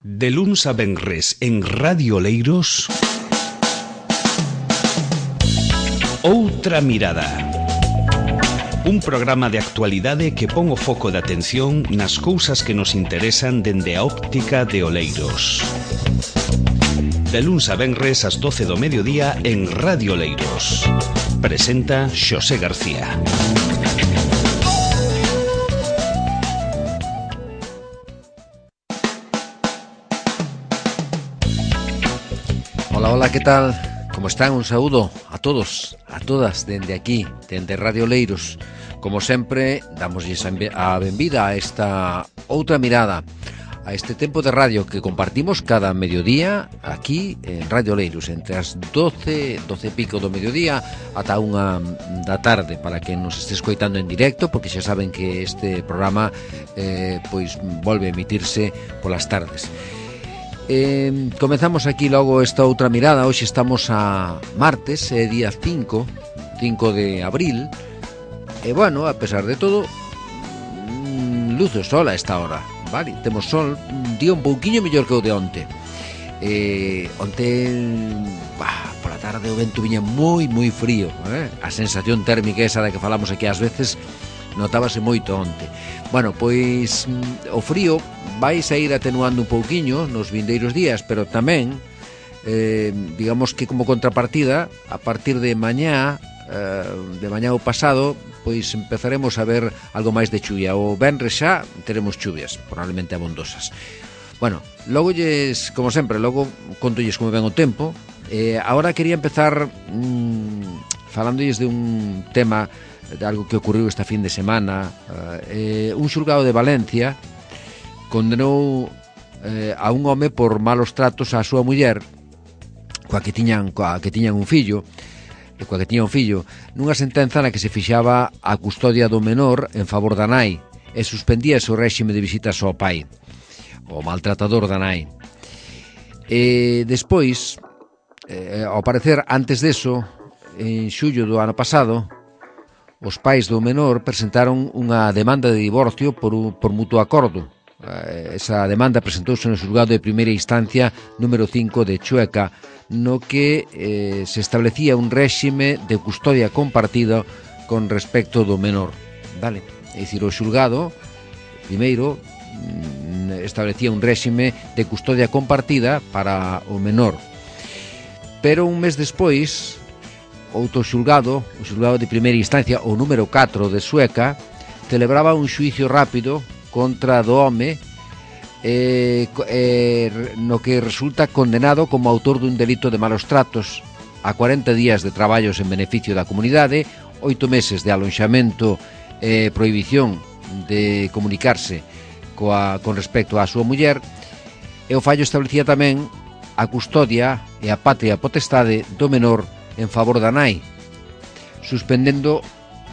De luns a venres en Radio Oleiros, Outra Mirada. Un programa de actualidade que pon o foco de atención nas cousas que nos interesan dende a óptica de Oleiros. De luns a venres ás 12 do mediodía en Radio Oleiros. Presenta Xosé García. Hola, ¿qué tal? ¿Cómo están? Un saúdo a todos, a todas, dende aquí, dende Radio Oleiros. Como sempre, damosles a benvida a esta outra mirada, a este tempo de radio que compartimos cada mediodía aquí en Radio Oleiros, entre as 12 e pico do mediodía ata unha da tarde, para que nos este escoitando en directo, porque xa saben que este programa pois volve a emitirse polas tardes. Comezamos aquí logo esta outra mirada. Hoxe estamos a martes, día 5 de abril. E bueno, a pesar de todo, luz o sol a esta hora, vale? Temos sol, un día un pouquiño mellor que o de onte. Onte pola tarde o vento viña moi frío, A sensación térmica esa da que falamos aquí ás veces notábase moito onte. Bueno, pois o frío vai sair atenuando un pouquiño nos vindeiros días, pero tamén digamos que como contrapartida, a partir de mañá o pasado, pois empezaremos a ver algo máis de chuvia. O venres xa teremos chuvias, probablemente abondosas. Bueno, logo como sempre, logo contolles como ven o tempo. Ahora quería empezar falándolles de un tema, de algo que ocurriu esta fin de semana. Un xulgado de Valencia condenou a un home por malos tratos á súa muller, coa que tiñan un fillo, nunha sentenza na que se fixaba a custodia do menor en favor da nai e suspendíase o réxime de visitas ao pai, o maltratador da nai. Despois, ao parecer, antes deso, en xullo do ano pasado, os pais do menor presentaron unha demanda de divorcio por mutuo acordo. Esa demanda presentouse no xulgado de primeira instancia número 5 de Chueca, no que se establecía un réxime de custodia compartida con respecto do menor, vale? É dicir, o xulgado primeiro establecía un réxime de custodia compartida para o menor, pero un mes despois outro xulgado, o xulgado de primeira instancia, o número 4 de Sueca, celebraba un xuicio rápido contra do home no que resulta condenado como autor dun delito de malos tratos a 40 días de traballos en beneficio da comunidade, 8 meses de alonxamento e prohibición de comunicarse con respecto á súa muller, e o fallo establecía tamén a custodia e a patria potestade do menor en favor da nai, suspendendo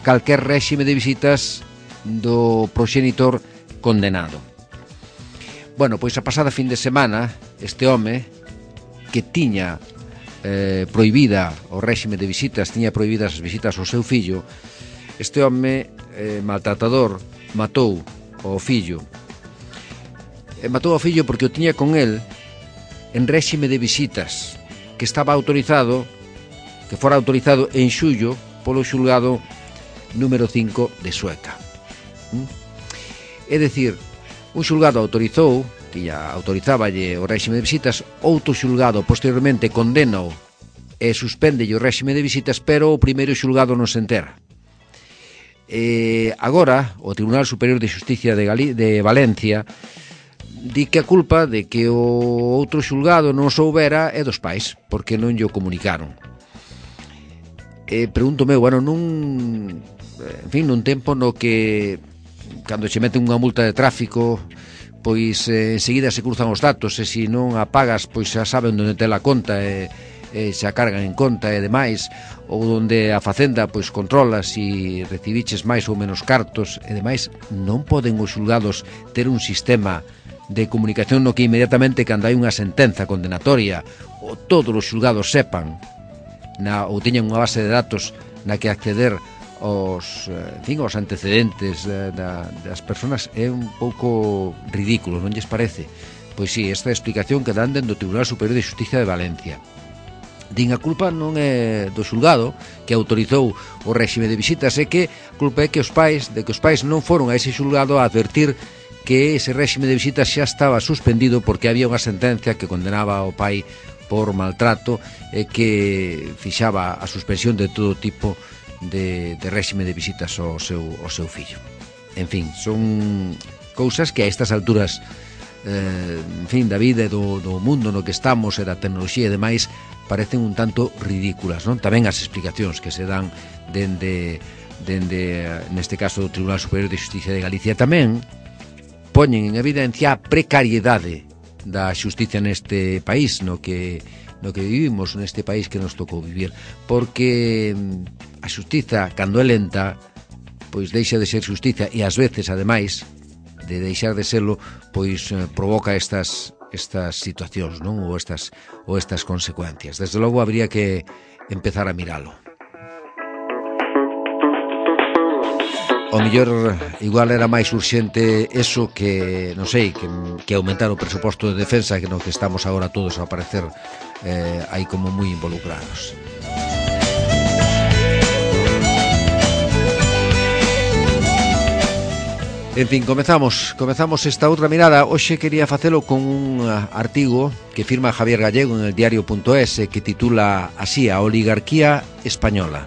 calquer réxime de visitas do proxenitor condenado. Bueno, pois a pasada fin de semana, este home que tiña prohibida o réxime de visitas, tiña prohibidas as visitas ao seu fillo, este home maltratador matou ao fillo. Matou ao fillo porque o tiña con el en réxime de visitas, que fora autorizado en xullo polo xulgado número 5 de Sueca. É dicir, un xulgado autorizáballe o réxime de visitas, outro xulgado posteriormente condena-o e suspéndelle o réxime de visitas, pero o primeiro xulgado non se entera. Agora, o Tribunal Superior de Xusticia de Valencia di que a culpa de que o outro xulgado non soubera é dos pais, porque non lle o comunicaron. Pregúntome, bueno, nun tempo no que cando che meten unha multa de tráfico, pois enseguida se cruzan os datos, e se non a pagas, pois xa saben onde te la conta e xa cargan en conta e demais, ou onde a Facenda pois controla se recibiches máis ou menos cartos e demais. Non poden os xulgados ter un sistema de comunicación no que inmediatamente cando hai unha sentenza condenatoria ou todos os xulgados sepan ou teñan unha base de datos na que acceder os antecedentes das persoas? É un pouco ridículo, non lles parece? Pois sí, esta explicación que dan dentro do Tribunal Superior de Xustiza de Valencia. Din a culpa non é do xulgado que autorizou o réxime de visitas, é que a culpa é que os pais non foron a ese xulgado a advertir que ese réxime de visitas xa estaba suspendido porque había unha sentencia que condenaba ao pai por maltrato e que fixaba a suspensión de todo tipo de réxime de visitas ao seu fillo. En fin, son cousas que a estas alturas en fin, da vida e do mundo no que estamos e da tecnoloxía e demais parecen un tanto ridículas, non? Tamén as explicacións que se dan dende neste caso do Tribunal Superior de Xustiza de Galicia tamén poñen en evidencia a precariedade da xustiza neste país no que vivimos, neste país que nos tocou vivir, porque a xustiza, cando é lenta, pois deixa de ser xustiza e ás veces, ademais de deixar de serlo, pois provoca estas situacións, non? Ou estas consecuencias. Desde logo habría que empezar a miralo. O mellor igual era máis urxente eso que, non sei, que aumentar o presuposto de defensa, que no que estamos agora todos a parecer aí como moi involucrados. En fin, comezamos esta outra mirada. Hoxe quería facelo con un artigo que firma Javier Gallego en el diario.es que titula así: a oligarquía española.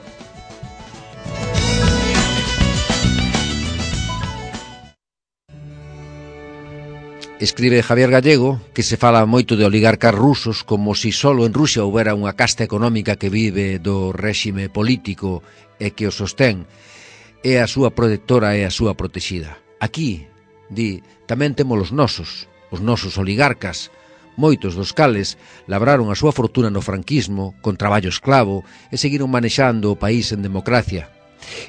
Escribe Javier Gallego que se fala moito de oligarcas rusos como si solo en Rusia houbera unha casta económica que vive do réxime político e que o sostén, é a súa protectora e a súa protexida. Aquí, di, tamén temos os nosos oligarcas, moitos dos cales labraron a súa fortuna no franquismo, con traballo esclavo, e seguiron manexando o país en democracia.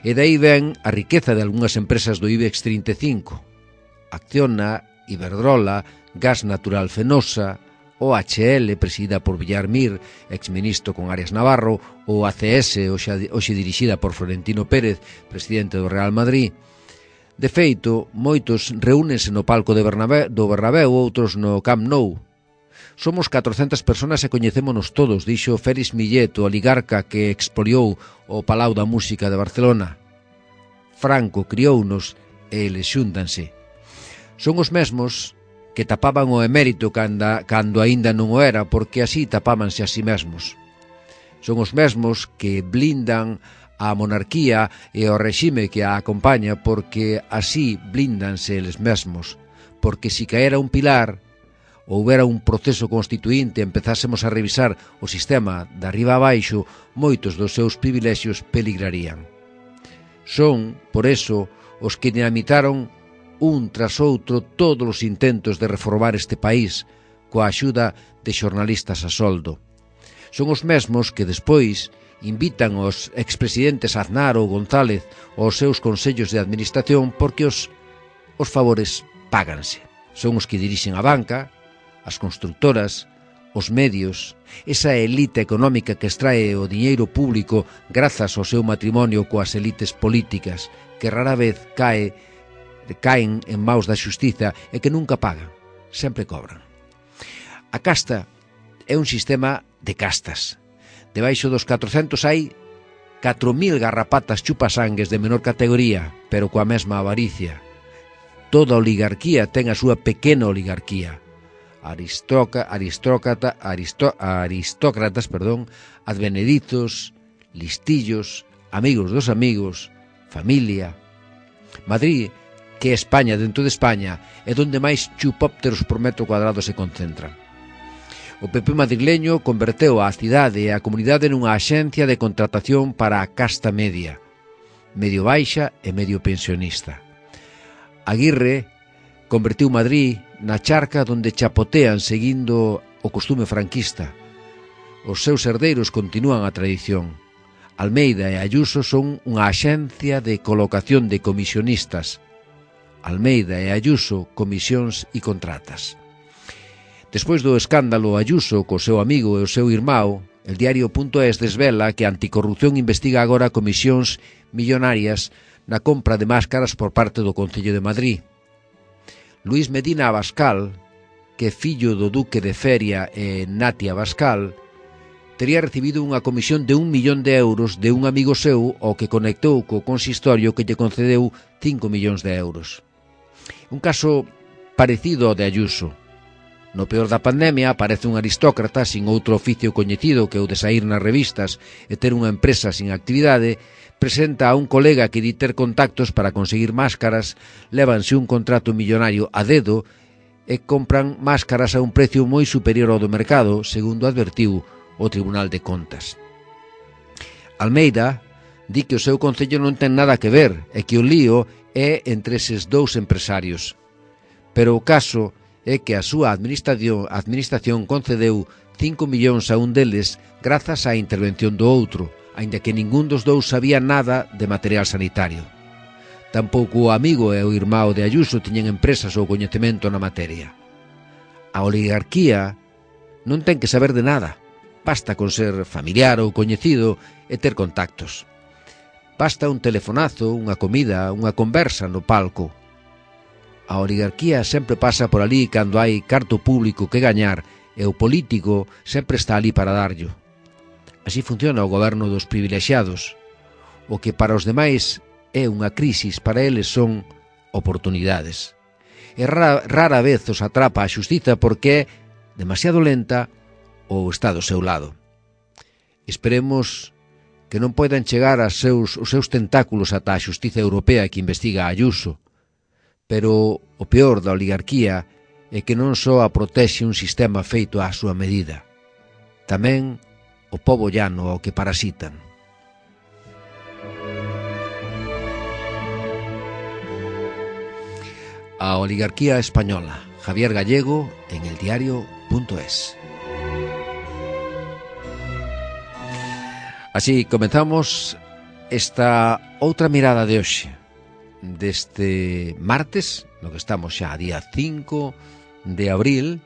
E dai ven a riqueza de algunhas empresas do IBEX 35, Acciona, Iberdrola, Gas Natural Fenosa, OHL, presidida por Villarmir, exministro con Arias Navarro, ou ACS, hoxe dirixida por Florentino Pérez, presidente do Real Madrid. De feito, moitos reúnense no palco do Bernabéu, outros no Camp Nou. Somos 400 personas e coñecémonos todos, dixo Félix Millet, o oligarca que expoliou o Palau da Música de Barcelona. Franco criounos e eles xúntanse. Son os mesmos que tapaban o emérito cando aínda non o era, porque así tapábanse a si mesmos. Son os mesmos que blindan a monarquía e ao réxime que a acompaña, porque así blíndanse eles mesmos, porque si caera un pilar, houbera un proceso constituínte e empezásemos a revisar o sistema de arriba a baixo, moitos dos seus privilexios peligrarían. Son, por eso, os que dinamitaron un tras outro todos os intentos de reformar este país coa axuda de xornalistas a soldo. Son os mesmos que despois invitan os expresidentes Aznar ou González aos seus consellos de administración porque os favores páganse. Son os que dirixen a banca, as constructoras, os medios, esa elite económica que extrae o diñeiro público grazas ao seu matrimonio coas elites políticas, que rara vez caen en maus da xustiza e que nunca pagan, sempre cobran. A casta é un sistema de castas. Debaixo dos 400 hai 4.000 garrapatas chupasangues de menor categoría, pero coa mesma avaricia. Toda oligarquía ten a súa pequena oligarquía. Aristócratas, advenedizos, listillos, amigos dos amigos, familia. Madrid, que é España dentro de España, é donde máis chupópteros por metro cuadrado se concentran. O PP madrileño converteu a cidade e a comunidade nunha axencia de contratación para a casta media, medio baixa e medio pensionista. Aguirre convertiu Madrid na charca donde chapotean seguindo o costume franquista. Os seus herdeiros continúan a tradición. Almeida e Ayuso son unha axencia de colocación de comisionistas. Almeida e Ayuso, comisións e contratas. Despois do escándalo Ayuso co seu amigo e o seu irmão, el diario.es desvela que a Anticorrupción investiga agora comisións millonarias na compra de máscaras por parte do Concello de Madrid. Luís Medina Abascal, que é fillo do duque de Feria e Natia Bascal, tería recibido unha comisión de 1 millón de euros de un amigo seu ao que conectou co consistorio que lle concedeu 5 millóns de euros. Un caso parecido ao de Ayuso. No peor da pandemia aparece un aristócrata sin outro oficio coñecido que o de saír nas revistas e ter unha empresa sin actividade, presenta a un colega que di ter contactos para conseguir máscaras, lévanse un contrato millonario a dedo e compran máscaras a un precio moi superior ao do mercado, segundo advertiu o Tribunal de Contas. Almeida di que o seu concello non ten nada que ver e que o lío é entre eses dous empresarios. Pero o caso é que a súa administración concedeu 5 millóns a un deles grazas á intervención do outro, aínda que ningún dos dous sabía nada de material sanitario. Tampouco o amigo e o irmão de Ayuso tiñen empresas ou coñecemento na materia. A oligarquía non ten que saber de nada. Basta con ser familiar ou coñecido e ter contactos. Basta un telefonazo, unha comida, unha conversa no palco. A oligarquía sempre pasa por ali cando hai carto público que gañar e o político sempre está ali para darllo. Así funciona o goberno dos privilexiados. O que para os demais é unha crisis, para eles son oportunidades. E rara vez os atrapa a xustiza porque é demasiado lenta ou está do seu lado. Esperemos que non poidan chegar os seus tentáculos ata a xustiza europea que investiga a Ayuso, pero o peor da oligarquía é que non só a protexe un sistema feito á súa medida, tamén o pobo llano ao que parasitan. A oligarquía española, Javier Gallego, en eldiario.es. Así comenzamos esta outra mirada de hoxe, deste martes, no que estamos xa día 5 de abril,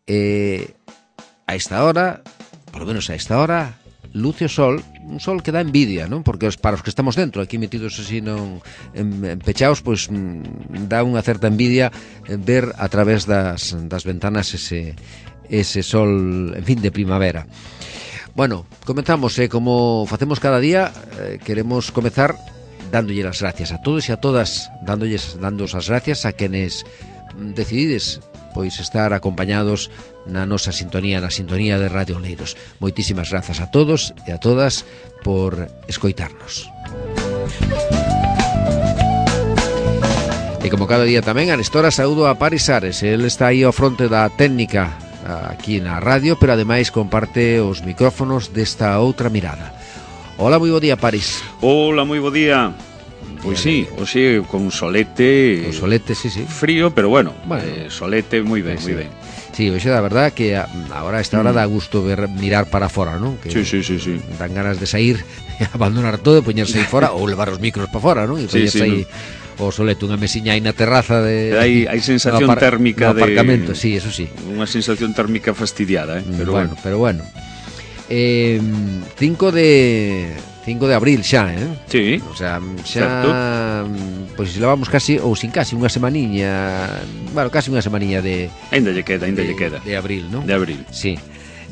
a esta hora, por lo menos a esta hora, luce o sol, un sol que dá envidia, non? Porque para os que estamos dentro, aquí metidos así non pechaos, pois dá unha certa envidia ver a través das ventanas ese sol, en fin, de primavera. Bueno, comenzamos, como facemos cada día, queremos comezar dándolle as gracias a todos e a todas, dándoos as gracias a quenes decidides pois estar acompañados na nosa sintonía, na sintonía de Radio Oleiros. Moitísimas grazas a todos e a todas por escoitarnos. E como cada día tamén, a nestora saúdo a Paris Ares, el está aí ao fronte da técnica aquí na radio, pero ademais comparte os micrófonos desta outra mirada. Hola, moi bo día, Paris. Hola, moi bo día. Pois sí, hoxe con solete. Con solete, sí. Frío, pero bueno. Solete moi ben, moi ben. Sí, hoxe da verdad que agora a esta hora dá gusto mirar para fora, non? Que sí. Dan ganas de sair, abandonar todo, poñerse aí fora ou levar os micros para fora, non? E poñerse aí o solete, unha mesiña aí na terraza de... Hai sensación térmica de aparcamento, sí, eso sí. Unha sensación térmica fastidiada, pero bueno. 5 de abril xa, Sí. O sea, xa pois se levamos casi unha semaniña, bueno, casi unha semaniña de... Ainda lle queda. De abril, non? De abril. Sí.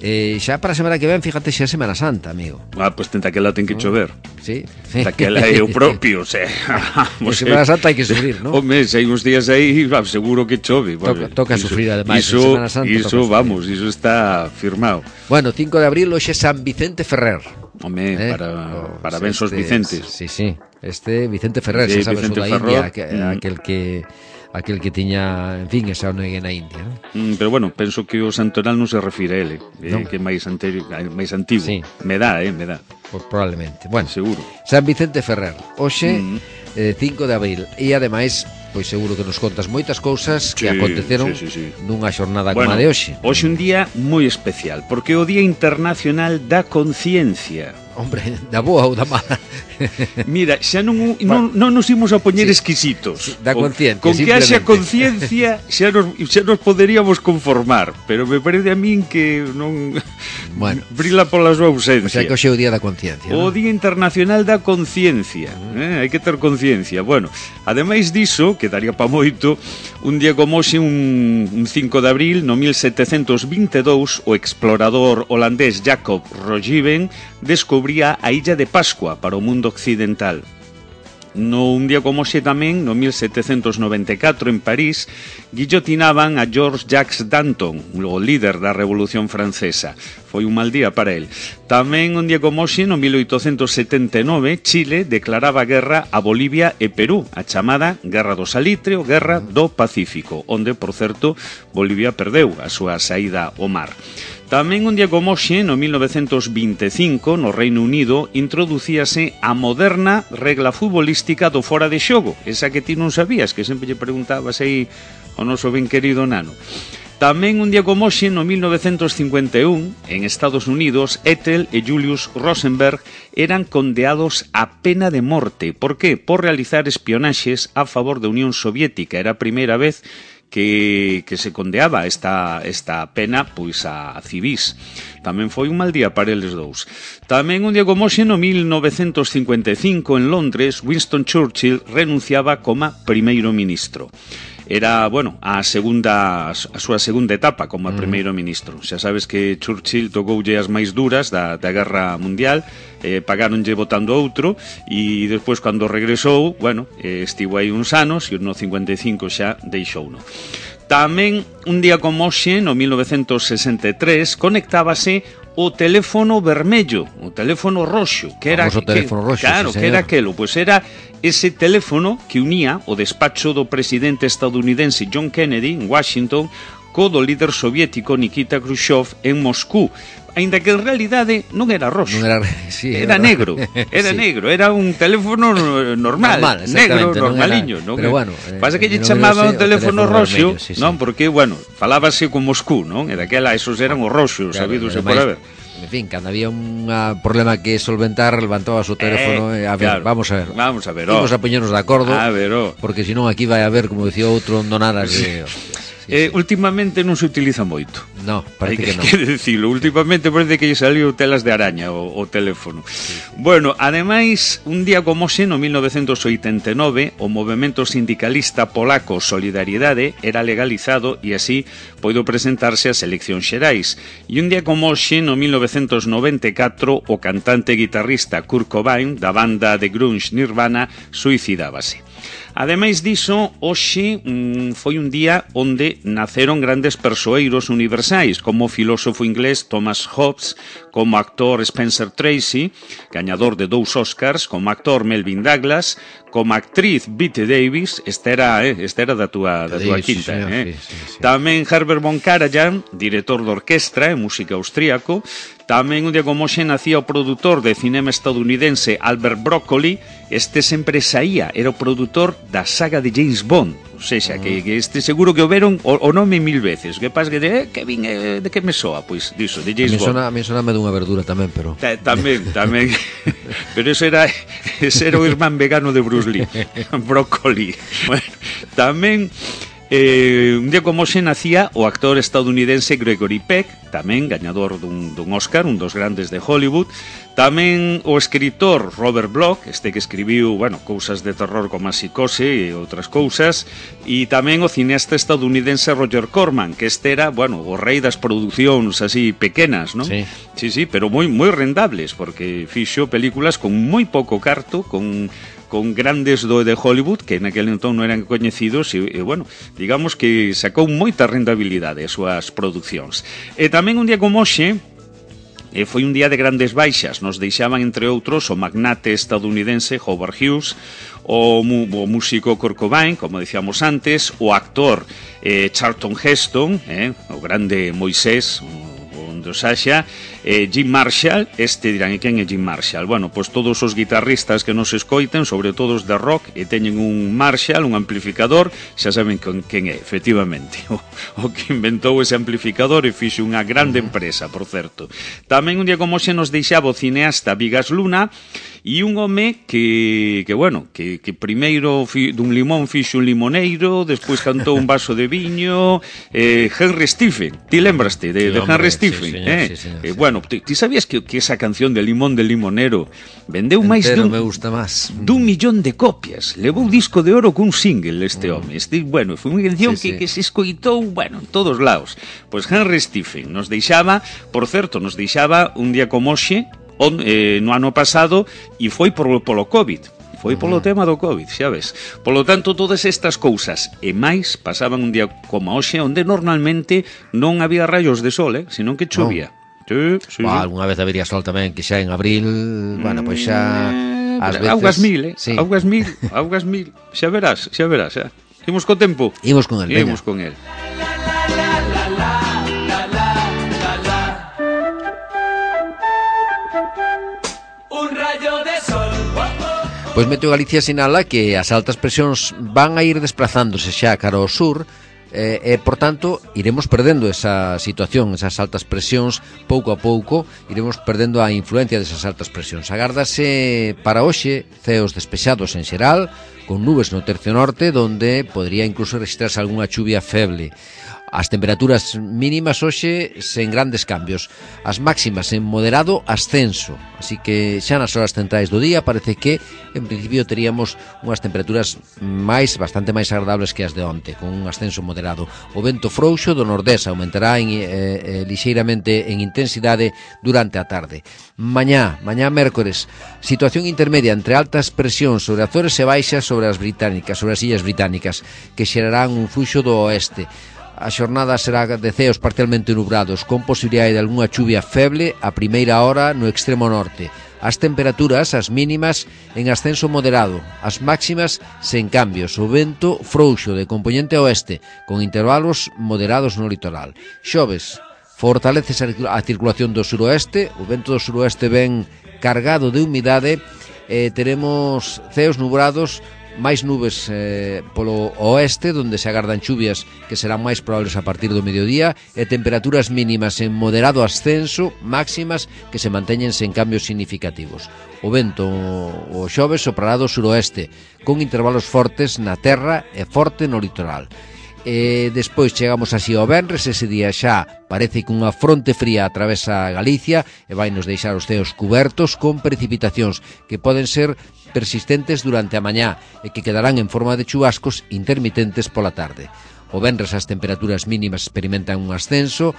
Xa para a semana que ven, fíjate, xa é Semana Santa, amigo. Pois tenta que lá ten que chover. Sí. Taquela é o propio, Semana Santa hai que sufrir, non? Home, se hai uns días aí, seguro que chove. Toca sufrir, ademais. Semana Santa iso está firmado. Bueno, 5 de abril, hoxe San Vicente Ferrer. Home, parabéns aos Vicentes. Sí. Este Vicente Ferrer, xa sabes, o da India, aquel que tiña, en fin, esa nega na India, ¿no? Pero bueno, penso que o santoral non se refire a ele, que é máis antigo. Sí. Me dá. Pues probablemente. Bueno, seguro. San Vicente Ferrer, hoxe 5 de abril, e ademais, pois seguro que nos contas moitas cousas que aconteceron nunha xornada como a de hoxe. Hoxe un día moi especial, porque é o Día Internacional da Conciencia. Hombre, da boa ou da mala? Mira, xa non nos imos a poñer exquisitos. Da conciencia, con que haxa conciencia xa nos poderíamos conformar, pero me parece a min que non brila pola súa ausencia. O sea que hoxe é o Día da Conciencia, o Día Internacional da Conciencia. Hai que ter conciencia. Bueno, ademais diso, que daría pa moito, Un día como hoxe, un 5 de abril, no 1722, o explorador holandés Jacob Roggeveen descubría a Illa de Pascua para o mundo occidental. No un día como hoxe tamén, no 1794, en París, guillotinaban a Georges-Jacques Danton, o líder da Revolución Francesa. Foi un mal día para el. Tamén un día como hoxe, no 1879, Chile declaraba guerra a Bolivia e Perú, a chamada Guerra do Salitre ou Guerra do Pacífico, onde, por certo, Bolivia perdeu a súa saída ao mar. Tamén un día como hoxe, no 1925, no Reino Unido, introducíase a moderna regla futbolística do fora de xogo, esa que ti non sabías, que sempre lle preguntabas aí ao noso ben querido nano. Tamén un día como hoxe, no 1951, en Estados Unidos, Ethel e Julius Rosenberg eran condeados a pena de morte. Por qué? Por realizar espionaxes a favor da Unión Soviética. Era a primeira vez que se condeaba esta pena pois a civís. Tamén foi un mal día para eles dous. Tamén un día como hoxe, no 1955, en Londres, Winston Churchill renunciaba como primeiro ministro. Era, bueno, a súa segunda etapa como primeiro ministro. Xa sabes que Churchill tocoulle as máis duras da Guerra Mundial, pagáronlle votando outro, e despois, cando regresou, bueno, estivo aí uns anos, e no 55 xa deixouno. Tamén, un día como hoxe, no 1963, conectábase o teléfono vermello, o teléfono roxo, que era claro, que era aquelo, pois era ese teléfono que unía o despacho do presidente estadounidense John Kennedy en Washington co do líder soviético Nikita Khrushchev en Moscú. Ainda que en realidade non era roxo, era negro, era un teléfono normal, negro, normaliño. Non? Pero bueno, pasa que lle chamaban o teléfono roxo, non? Porque, bueno, falábase con Moscú, non? E daquela esos eran os roxos, sabidos e por haber. En fin, cando había un problema que solventar, levantaba o seu teléfono e a ver, claro, vamos a ver. Vamos a poñernos de acordo, porque senón aquí vai haber, como dicía outro, ondonadas de... Últimamente non se utiliza moito. No, parece que non. Hai que decirlo, últimamente parece que lle saliu telas de araña o teléfono. Sí. Bueno, ademais, un día como hoxe, no 1989, o movemento sindicalista polaco Solidariedade era legalizado e así poido presentarse ás eleccións xerais. E un día como hoxe, no 1994, o cantante e guitarrista Kurt Cobain, da banda de grunge Nirvana, suicidábase. Ademais diso, hoxe foi un día onde naceron grandes persoeiros universais, como o filósofo inglés Thomas Hobbes, como actor Spencer Tracy, gañador de 2 Oscars, como actor Melvyn Douglas, como actriz Bette Davis, esta era da túa quinta, sí. Tamén Herbert von Karajan, director de orquestra e música austríaco. Tamén un día como hoxe nacía o produtor de cinema estadounidense Albert Broccoli. Este sempre saía, era o produtor da saga de James Bond. O sexa, que este seguro que o veron o nome 1000 veces. Que pasa que de que me soa, pois, diso, de James Bond. A mí soname dunha verdura tamén, pero... Tamén. Pero ese era o irmán vegano de Bruce Lee, Broccoli. Bueno, tamén... un día como hoxe nacía o actor estadounidense Gregory Peck, tamén gañador dun Oscar, un dos grandes de Hollywood. Tamén o escritor Robert Bloch, que escribiu, bueno, cousas de terror como a Psicose e outras cousas. E tamén o cineasta estadounidense Roger Corman, que era, bueno, o rei das producións así pequenas, non? Sí, pero moi rendables, porque fixo películas con moi pouco carto, con grandes de Hollywood que naquele entón non eran coñecidos e bueno, digamos que sacou moita rentabilidade as súas producións. E tamén un día como hoxe foi un día de grandes baixas. Nos deixaban, entre outros, o magnate estadounidense Howard Hughes, o músico Kurt Cobain, como dicíamos antes, o actor Charlton Heston, o grande Moisés, do Sasha, Jim Marshall. Dirán, e quen é Jim Marshall? Bueno, pois todos os guitarristas que nos escoiten, sobre todo os de rock, e teñen un Marshall, un amplificador, xa saben quen é, efectivamente, o que inventou ese amplificador e fixo unha grande empresa, por certo. Tamén un día como hoxe nos deixaba o cineasta Vigas Luna, e un home que primeiro dun limón fixo un limoneiro, despois cantou un vaso de viño, Henry Stephen. Ti lembraste de Henry Stephen? Sí, Bueno, bueno, ti sabías que esa canción de Limón de Limonero vendeu máis me gusta más. dun millón de copias. Levou disco de oro cun single este home. Bueno, foi unha canción que se escoitou, bueno, en todos lados. Pois Henry Stephen nos deixaba un día como hoxe, no ano pasado, e foi polo COVID. Foi polo tema do COVID, xa ves. Polo tanto, todas estas cousas e máis pasaban un día como hoxe, onde normalmente non había rayos de sol, senón que chovía. Sí. Alguna vez habería sol tamén, que xa en abril, bueno, pois xa ás veces... Augas mil, augas mil. Xa verás, xa. Imos co tempo? Imos con el, Imos con el. Pois Meteo Galicia sinala que as altas presións van a ir desplazándose xa cara ao sur e, por tanto, iremos perdendo esa situación, esas altas presións, pouco a pouco, iremos perdendo a influencia desas altas presións. Agárdase para hoxe ceos despexados en xeral, con nubes no tercio norte, donde podría incluso registrarse algunha chuvia feble. As temperaturas mínimas hoxe sen grandes cambios, as máximas en moderado ascenso, así que xa nas horas centrais do día parece que en principio teríamos unhas temperaturas bastante máis agradables que as de onte, con un ascenso moderado. O vento frouxo do nordés aumentará lixeiramente en intensidade durante a tarde. Mañá mércores, situación intermedia entre altas presións sobre Azores e baixas sobre as illas británicas, que xerarán un fluxo do oeste. A xornada será de ceos parcialmente nubrados, con posibilidade de algunha chuvia feble a primeira hora no extremo norte. As temperaturas, as mínimas, en ascenso moderado, as máximas sen cambios, o vento frouxo de compoñente oeste, con intervalos moderados no litoral. Xoves, fortalece a circulación do suroeste, o vento do suroeste ven cargado de humidade, teremos ceos nubrados, máis nubes polo oeste, onde se agardan chuvias que serán máis probables a partir do mediodía, e temperaturas mínimas en moderado ascenso, máximas que se manteñen sen cambios significativos. O vento o xoves soprará do suroeste, con intervalos fortes na terra e forte no litoral. Despois chegamos así ao venres, ese día xa parece que unha fronte fría atravesa Galicia e vai nos deixar os ceos cubertos con precipitacións que poden ser persistentes durante a mañá e que quedarán en forma de chubascos intermitentes pola tarde. O venres as temperaturas mínimas experimentan un ascenso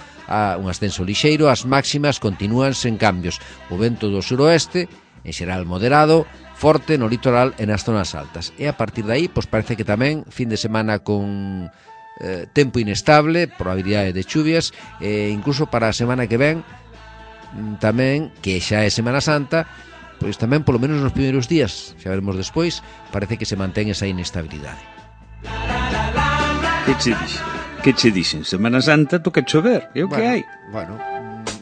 lixeiro, as máximas continúan sen cambios. O vento do suroeste, en xeral moderado, forte no litoral e nas zonas altas. E a partir de aí, pois parece que tamén fin de semana con tempo inestable, probabilidade de chuvias, e incluso para a semana que ven tamén, que xa é Semana Santa, pois tamén polo menos nos primeiros días, xa veremos despois, parece que se mantén esa inestabilidade. Que che dixen? Semana Santa toca chover, é o que hai. Bueno,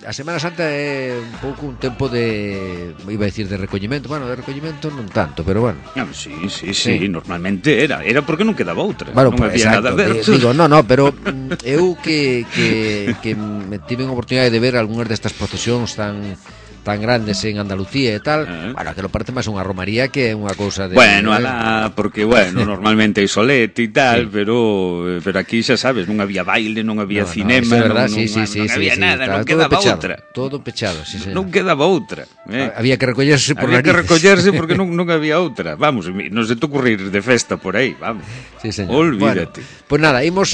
a Semana Santa é un pouco un tempo de, iba a decir, de recoñimento. Bueno, de recoñimento non tanto, pero bueno. Sí, normalmente era porque non quedaba outra. Bueno, non había nada a ver. Digo, pero eu que me tive a oportunidade de ver algunhas destas procesións tan grandes en Andalucía e tal, bueno, que lo parece máis unha romaría que unha cousa de... Bueno, porque, normalmente hai solete e tal, pero aquí xa sabes, non había baile, non había cinema, non había nada, non quedaba outra. Todo pechado, sí, señor. Non quedaba outra. Había que recollerse por narices. Había que recollerse porque non había outra. Vamos, non se te ocurrir de festa por aí, vamos. Sí, señor. Olvídate. Bueno, pues nada, imos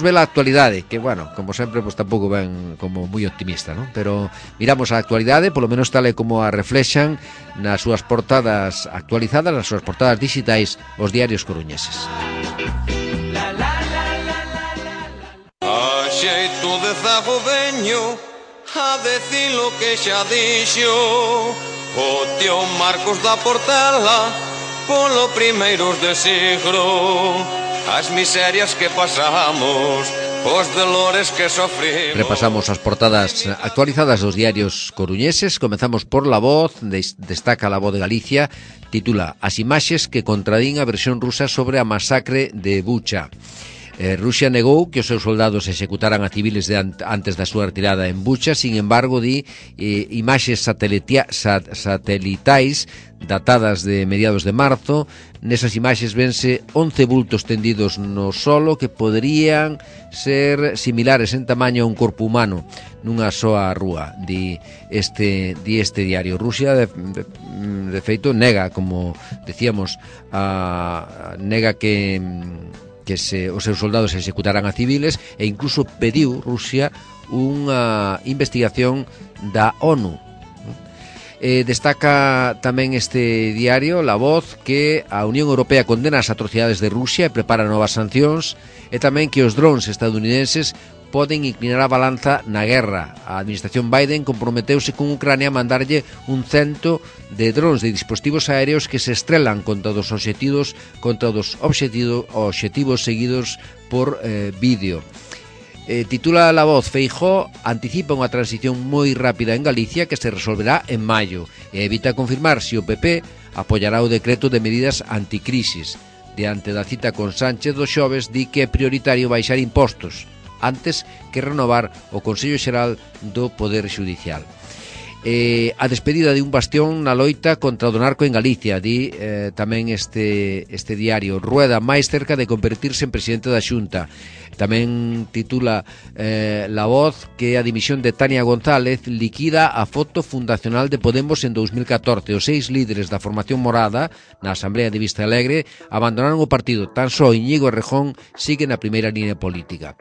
ver a actualidade, que, bueno, como sempre, pues tampouco ven como moi optimista, ¿no? Pero miramos a actualidade, polo menos tal e como a reflexan nas súas portadas actualizadas, nas súas portadas digitais, os diarios coruñeses. A xeito de zago veño a decir lo que xa dixo o tío Marcos da Portela polo primeiros de siglo, as miserias que pasamos, os dolores que sofrimos. Repasamos as portadas actualizadas dos diarios coruñeses. Comezamos por La Voz. Destaca La Voz de Galicia, titula As imaxes que contradín a versión rusa sobre a masacre de Bucha. Rusia negou que os seus soldados executaran a civiles antes da súa retirada en Bucha. Sin embargo, di imaxes satelitais datadas de mediados de marzo. Nesas imaxes vense 11 bultos tendidos no solo que poderían ser similares en tamaño a un corpo humano nunha soa rúa, di este diario. Rusia de feito nega, como decíamos, nega que os seus soldados executaran a civiles, e incluso pediu Rusia unha investigación da ONU. Destaca tamén este diario, La Voz, que a Unión Europea condena as atrocidades de Rusia e prepara novas sancións, e tamén que os drones estadounidenses poden inclinar a balanza na guerra. A administración Biden comprometeuse con Ucrania a mandarlle 100 de drones de dispositivos aéreos que se estrelan contra os obxectivos seguidos por vídeo. Titula La Voz: Feijóo anticipa unha transición moi rápida en Galicia que se resolverá en maio, e evita confirmar se o PP apoiará o decreto de medidas anticrisis. Diante da cita con Sánchez do xoves, di que é prioritario baixar impostos antes que renovar o Consello Xeral do Poder Xudicial. A despedida de un bastión na loita contra o narco en Galicia, di tamén este diario. Rueda máis cerca de convertirse en presidente da Xunta. Tamén titula La Voz que a dimisión de Tania González liquida a foto fundacional de Podemos en 2014. Os 6 líderes da formación morada na Asamblea de Vista Alegre abandonaron o partido. Tan só Íñigo Errejón sigue na primeira línea política.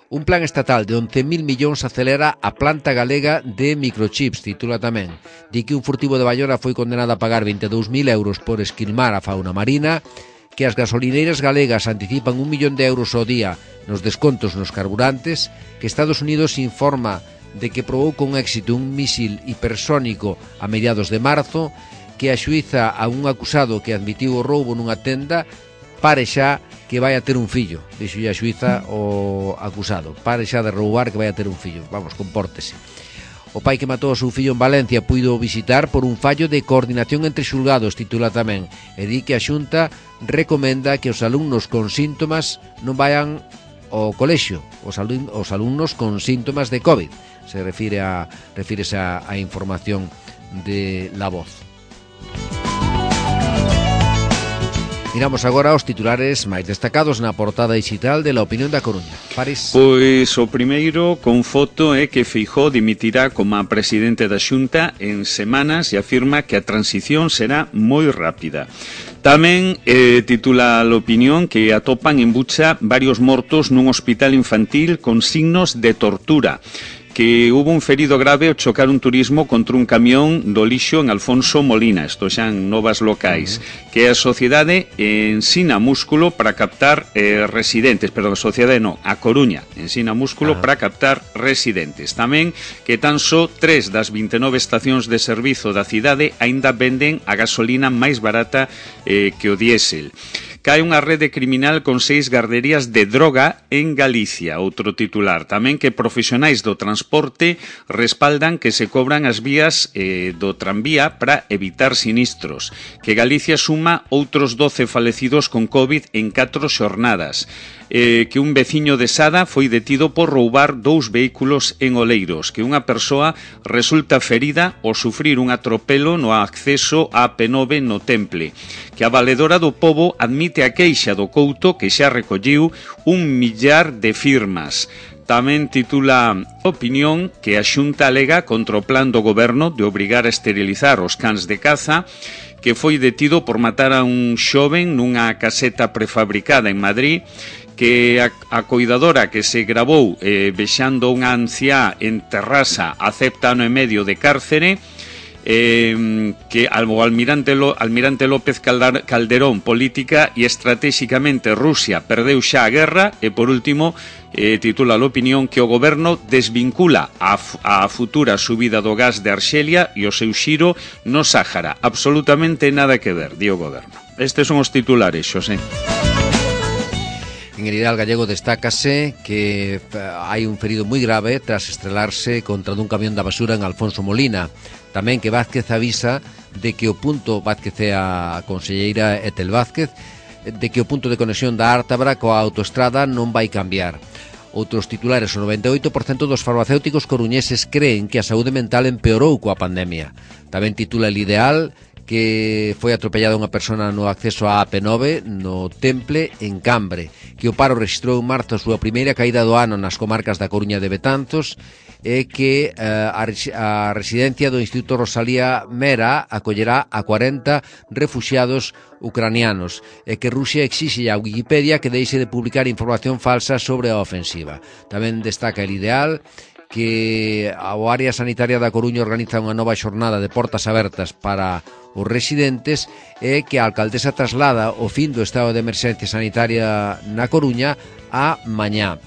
Un plan estatal de 11.000 millóns acelera a planta galega de microchips, titula tamén. Di que un furtivo de Baiona foi condenado a pagar 22.000 euros por esquilmar a fauna marina, que as gasolineiras galegas anticipan 1 millón de euros ao día nos descontos nos carburantes, que Estados Unidos informa de que probou con éxito un misil hipersónico a mediados de marzo, que axuiza a un acusado que admitiu o roubo nunha tenda. Pare xa que vai a ter un fillo, dixolle a xuíza o acusado. Pare xa de roubar que vai a ter un fillo. Vamos, compórtese. O pai que matou a seu fillo en Valencia puido visitar por un fallo de coordinación entre xulgados, titula tamén, e di que a Xunta recomenda que os alumnos con síntomas non vayan ao colexio, os alumnos con síntomas de COVID. Refírese a información de La Voz. Miramos agora os titulares máis destacados na portada digital de La Opinión da Coruña. París. Pois o primeiro con foto é que Feijóo dimitirá como presidente da Xunta en semanas e afirma que a transición será moi rápida. Tamén titula La Opinión que atopan en Bucha varios mortos nun hospital infantil con signos de tortura, que hubo un ferido grave ao chocar un turismo contra un camión do lixo en Alfonso Molina, isto xa en novas locais, que a sociedade ensina músculo para captar residentes, perdón, a sociedade non, a Coruña ensina músculo para captar residentes. Tamén que tan só 3 das 29 estacións de servizo da cidade aínda venden a gasolina máis barata que o diésel. Cae unha rede criminal con 6 garderías de droga en Galicia, outro titular. Tamén que profesionais do transporte respaldan que se cobran as vías do tranvía para evitar sinistros. Que Galicia suma outros 12 falecidos con COVID en 4 xornadas. Que un veciño de Sada foi detido por roubar 2 vehículos en Oleiros, que unha persoa resulta ferida ao sufrir un atropelo no acceso á P9 no Temple, que a Valedora do Pobo admite a queixa do Couto que xa recolliu 1.000.000 de firmas. Tamén titula Opinión que a Xunta alega contra o plan do goberno de obrigar a esterilizar os cans de caza, que foi detido por matar a un xoven nunha caseta prefabricada en Madrid, que a coidadora que se gravou vexando unha anciá en Terrasa acepta 1 ano e medio de cárcere, que o almirante López Calderón política e estratégicamente Rusia perdeu xa a guerra, e por último titula a Opinión que o goberno desvincula a futura subida do gas de Arxelia e o seu xiro no Sáhara. Absolutamente nada que ver, di o goberno. Estes son os titulares, Xosé. En Heridal Gallego destácase que hai un ferido moi grave tras estrelarse contra dun camión da basura en Alfonso Molina. Tamén que Vázquez avisa de que o punto, Vázquez é a conselleira Etel Vázquez, de que o punto de conexión da Ártabra coa autoestrada non vai cambiar. Outros titulares, o 98% dos farmacéuticos coruñeses creen que a saúde mental empeorou coa pandemia. Tamén titula El Ideal que foi atropellada unha persona no acceso á AP9 no Temple en Cambre, que o paro registrou en marzo a súa primeira caída do ano nas comarcas da Coruña de Betanzos, e que a residencia do Instituto Rosalía Mera acollerá a 40 refuxiados ucranianos, e que Rusia exixe a Wikipedia que deixe de publicar información falsa sobre a ofensiva. Tamén destaca El Ideal que a área sanitaria da Coruña organiza unha nova xornada de portas abertas para os residentes, e que a alcaldesa traslada o fin do estado de emerxencia sanitaria na Coruña a mañá.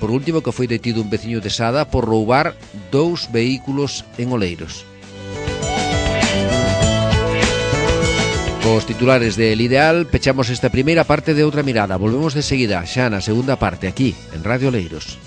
Por último, que foi detido un veciño de Sada por roubar 2 vehículos en Oleiros. Cos titulares de El Ideal pechamos esta primeira parte de Outra Mirada. Volvemos de seguida xa na segunda parte aquí en Radio Oleiros.